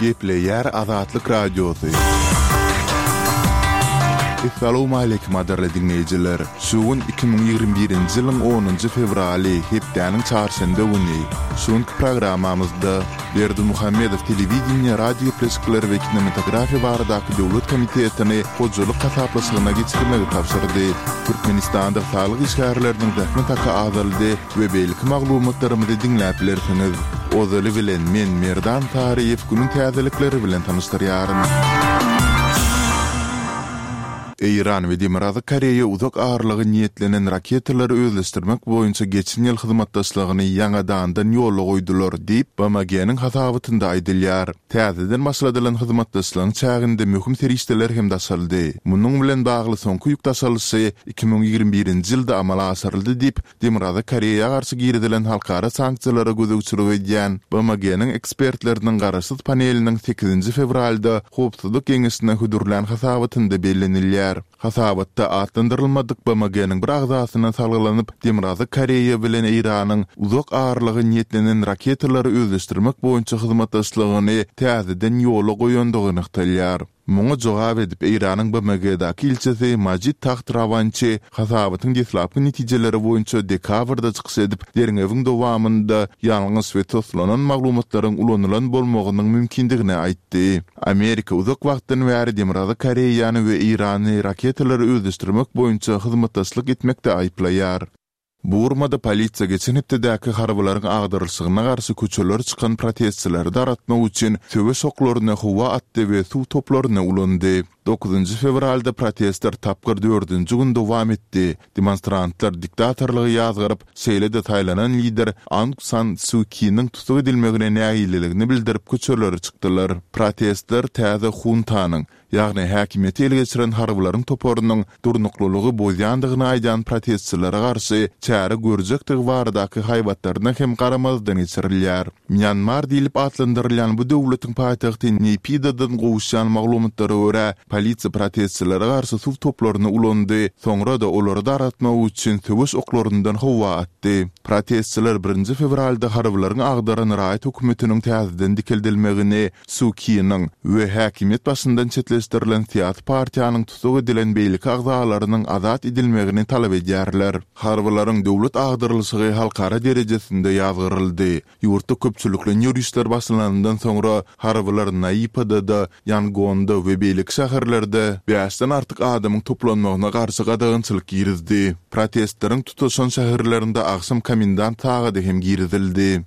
Gepleýär Azatlyk Radiosy. Essalawmaleýkim gadyrly diňleýjiler! Şu gün 2021-nji ýylyň onunjy fewraly, hepdäniň çarşenbe güni. Şu günki programmamyzda Berdimuhamedow telewideniýe, radiogepleşikler we kinematografiýa baradaky döwlet komitetini hojalyk hasaplaşygyna geçirmegi tabşyrdy. Türkmenistanda saglyk işgärleriniň zähmet haky azaldy we beýleki maglumatlarymyzy diňläp bilersiňiz. Ozaly bilen men Merdan Saryýew günüň täzelikleri bilen tanyşdyrýaryn. Eýran we Demirgazyk Koreýa uzak aralyga niýetlenen raketalary özleşdirmek boýunça geçen ýyl hyzmatdaşlygyny ýaňadandan ýola goýdular diýip, BMG-niň hasabatynda aýdylýar. Täzeden başladylan hyzmatdaşlygyň çäginde möhüm serişdeler hem daşaldy. Munuň bilen bagly soňky ýük daşalyşy 2021-nji ýylda amala aşyryldy diýip, Demirgazyk Koreýa garşy girizilen halkara sanksiýalara gözegçilik edýän BMG-niň ekspertleriniň garaşsyz paneliniň sekizinji fewralda Howpsuzlyk Geňeşine hödürlän hasabatynda bellenilýär. Hasabatda atlandyrylmadyk BMG-niň bir agzasyna salgylanyp, Demirgazyk Koreýa bilen Eýranyň uzak aralyga niýetlenen raketalary özleşdirmek boýunça hyzmatdaşlygyny täzeden ýola goýandygy nygtalýar. Muňa jogap edip, Eýranyň BMG-daky ilçisi Majid Taht Rawançi hasabatyň deslapky netijeleri boýunça dekabrda çykyş edip, derňewiň dowamynda ýalňyş we toslanan maglumatlaryň ulanylan bolmagynyň mümkindigini aýtdy. Amerika uzak wagtdan bäri Demirgazyk Koreýany we Eýrany raketalary özleşdirmek boýunça hyzmatdaşlyk etmekde aýyplaýar. Burmada polisiýa geçen hepdedäki harbylaryň agdarylyşygyna garşy köçelere çykan protestçileri dargatmak üçin söweş oklaryny howa atdy we suw toplaryny ulandy. Dokuzynjy fewralda protestler tapgyr dördünji gün dowam etdi. Demonstrantlar diktatorlygy ýazgaryp, şeýle-de saýlanan lider Aung San Suu Kiniň tussag edilmegine nägileligini bildirip köçelere çykdylar. Protestler täze huntanyň, ýagny häkimiýeti ele geçiren harbylaryň toparynyň durnuklylygy bozýandygyny aýdýan protestçilere garşy çäre görjekdigi baradaky haýbatlaryna hem garamazdan geçirilýär. Mýanmar diýlip atlandyrylýan bu döwletiň paýtagty Neýpidadan gowuşýan maglumatlara görä, polisiýa protestçilere garşy suw toplaryny ulandy, soňra-da olary dargatmak üçin söweş oklaryndan howa atdy. Protestçiler birinji fewralda harbylaryň agdaran raýat hökümetiniň täzeden dikeldilmegini Su Kiniň we häkimiýet başyndan çetleşdirilen syýasy partiýanyň tussag edilen beýleki agzalarynyň azat edilmegini talap edýärler. Harbylaryň döwlet agdarylyşygy halkara derejesinde ýazgaryldy. Ýurtda köpçülikleýin ýörişler başlananyndan soňra harbylar Naýipada-da, Ýangonda we beýleki şäherlerde bäşden artyk adamyň toplanmagyna garşy gadagançylyk girizdi. Protestleriň tutaşan şäherlerinde agşam komendant sagady hem girizildi.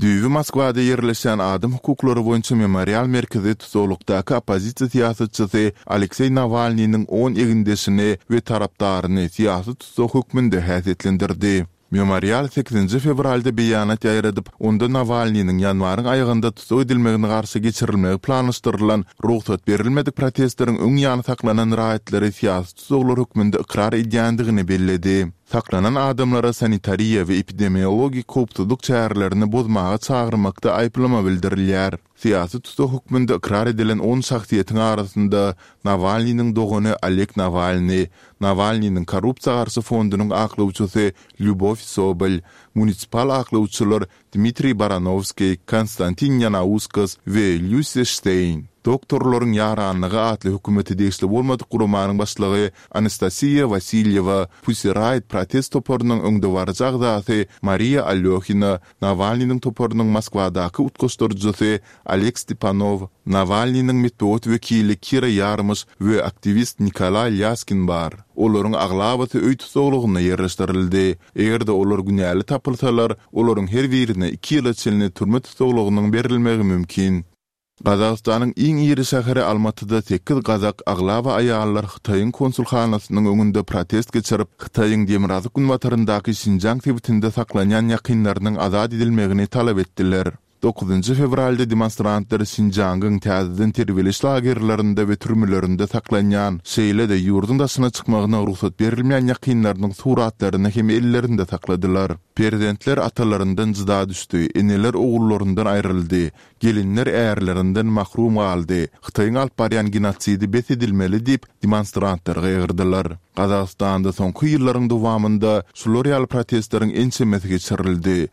Düýbi Moskwada ýerleşýän adam hukuklary boýunça Memorial merkezi tussaglykdaky oppozisiýa syýasatçysy Alekseý Nawalnynyň on egindeşini we tarapdaryny syýasy tussag hökmünde häsiýetlendirdi. Memorial sekizinji fewralda beýanat ýaýradyp, onda Nawalnynyň ýanwaryň aýagynda tussag edilmegine garşy geçirilmegi planlaşdyrylan rugsat berilmedik protestleriň öň ýany saklanan raýatlary syýasy tussaglar hökmünde ykrar edýändigini belledi. Saklanan adamlara sanitariýa we epidemiologik howpsuzlyk çärelerini bozmaga çagyrmakda aýyplama bildirilýär. Syýasy tussag hökmünde ykrar edilen on şahsyýetiň arasynda Nawalnynyň dogany Oleg Nawalny, Nawalnynyň korrupsiýa garşy fondunyň aklawçysy Lýubow Sobol, munisipal aklawçylar Dmitriý Baranowskiý, Konstantin Ýanauskas we Lýusi Şteýn. Doktorlaryň ýaranlygy atly hökümete degişli bolmadyk guramanyň başlygy Anastasiýa Wasilýewa, Pussy Riot protest toparynyň öňdebaryjy agzasy Mariýa Alýohina, Nawalnynyň toparynyň Moskwadaky utgaşdyryjysy Oleg Stepanow, Nawalnynyň metbugat wekili Kira Ýarmyş we aktiwist Nikolaý Lýaskin bar. Olaryň aglabasy öý tussaglygynda ýerleşdirildi. Eger-de olar günäli tapylsalar, olaryň her birine iki ýyla çenli türme tussaglygynyň berilmegi mümkin. Gazagystanyň iň iri şäheri Almatyda sekiz gazak, aglaba aýallar Hytaýyň konsulhanasynyň öňünde protest geçirip, Hytaýyň demirgazyk-günbataryndaky Şinjiang sebitinde saklanýan ýakynlarynyň azat edilmegini talap etdiler. Dokuzynjy fewralda demonstrantlar Şinjiangyň täzeden terbiýeleýiş lagerlerinde we türmelerinde saklanýan, şeýle-de ýurduň daşyna çykmagyna rugsat berilmeýän ýakynlarynyň suratlaryny hem ellerinde sakladylar. Perzentler atalaryndan jyda düşdi, eneler ogullaryndan aýryldy, gelinler ärlerinden mahrum galdy, Hytaýyň alyp barýan genosidi bes edilmeli diýip, demonstrantlar gygyrdylar. Gazagystanda soňky ýyllaryň dowamynda şular ýaly protestleriň ençemesi geçirildi.